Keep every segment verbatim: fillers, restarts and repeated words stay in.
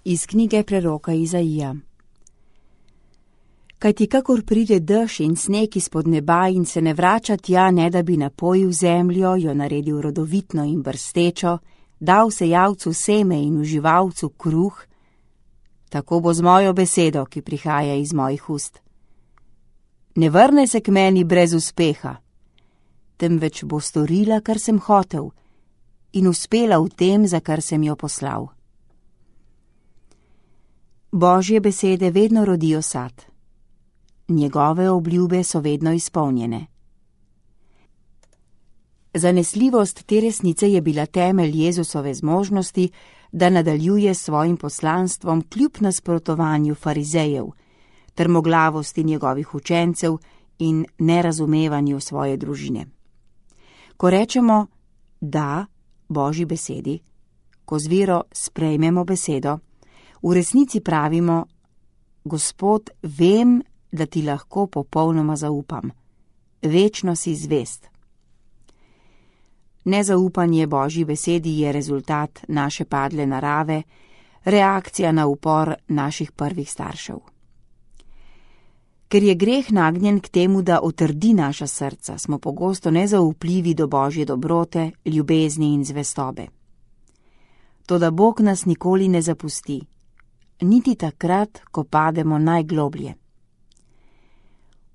Iz knjige preroka Izaija. Kajti kakor pride dež in sneg izpod neba in se ne vrača tja, ne da bi napojil zemljo, jo naredil rodovitno in brstečo, dal sejavcu seme in uživalcu kruh, tako bo z mojo besedo, ki prihaja iz mojih ust. Ne vrne se k meni brez uspeha, temveč bo storila, kar sem hotel, in uspela v tem, za kar sem jo poslal. Božje besede vedno rodijo sad. Njegove obljube so vedno izpolnjene. Zanesljivost te resnice je bila temelj Jezusove zmožnosti, da nadaljuje s svojim poslanstvom kljub nasprotovanju farizejev, trmoglavosti njegovih učencev in nerazumevanju svoje družine. Ko rečemo da Božji besedi, ko z vero sprejmemo besedo, v resnici pravimo: Gospod, vem, da ti lahko popolnoma zaupam. Večno si zvest. Nezaupanje Božji besedi je rezultat naše padle narave, reakcija na upor naših prvih staršev. Ker je greh nagnjen k temu, da otrdi naša srca, smo pogosto nezaupljivi do Božje dobrote, ljubezni in zvestobe. Toda Bog nas nikoli ne zapusti, niti takrat, ko pademo najgloblje.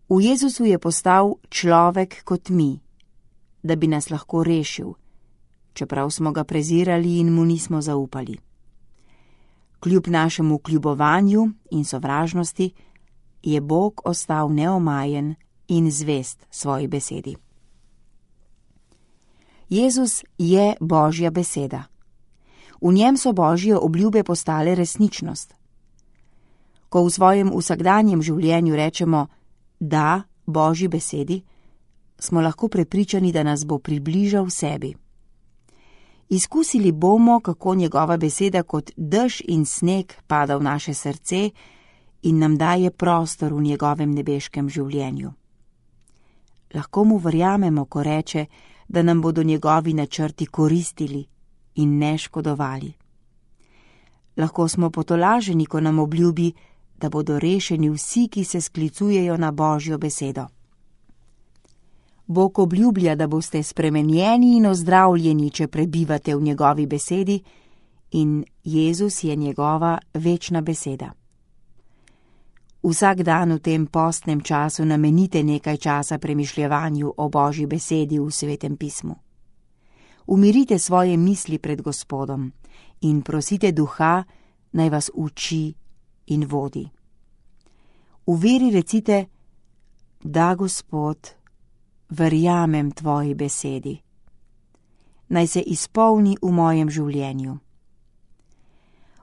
V Jezusu je postal človek kot mi, da bi nas lahko rešil, čeprav smo ga prezirali in mu nismo zaupali. Kljub našemu kljubovanju in sovražnosti je Bog ostal neomajen in zvest svoji besedi. Jezus je Božja beseda. V njem so Božje obljube postale resničnost. Ko v svojem vsakdanjem življenju rečemo da Božji besedi, smo lahko prepričani, da nas bo približal sebi. Izkusili bomo, kako njegova beseda kot dež in sneg pada v naše srce in nam daje prostor v njegovem nebeškem življenju. Lahko mu verjamemo, ko reče, da nam bodo njegovi načrti koristili in ne škodovali. Lahko smo potolaženi, ko nam obljubi, da bodo rešeni vsi, ki se sklicujejo na Božjo besedo. Bog obljublja, da boste spremenjeni in ozdravljeni, če prebivate v njegovi besedi, in Jezus je njegova večna beseda. Vsak dan v tem postnem času namenite nekaj časa premišljevanju o Božji besedi v Svetem pismu. Umirite svoje misli pred Gospodom in prosite Duha, naj vas uči in vodi. V veri recite: da, Gospod, verjamem tvoji besedi. Naj se izpolni v mojem življenju.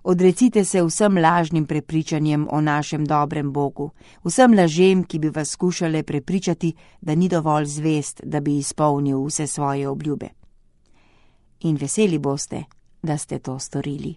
Odrecite se vsem lažnim prepričanjem o našem dobrem Bogu, vsem lažem, ki bi vas skušale prepričati, da ni dovolj zvest, da bi izpolnil vse svoje obljube. In veseli boste, da ste to storili.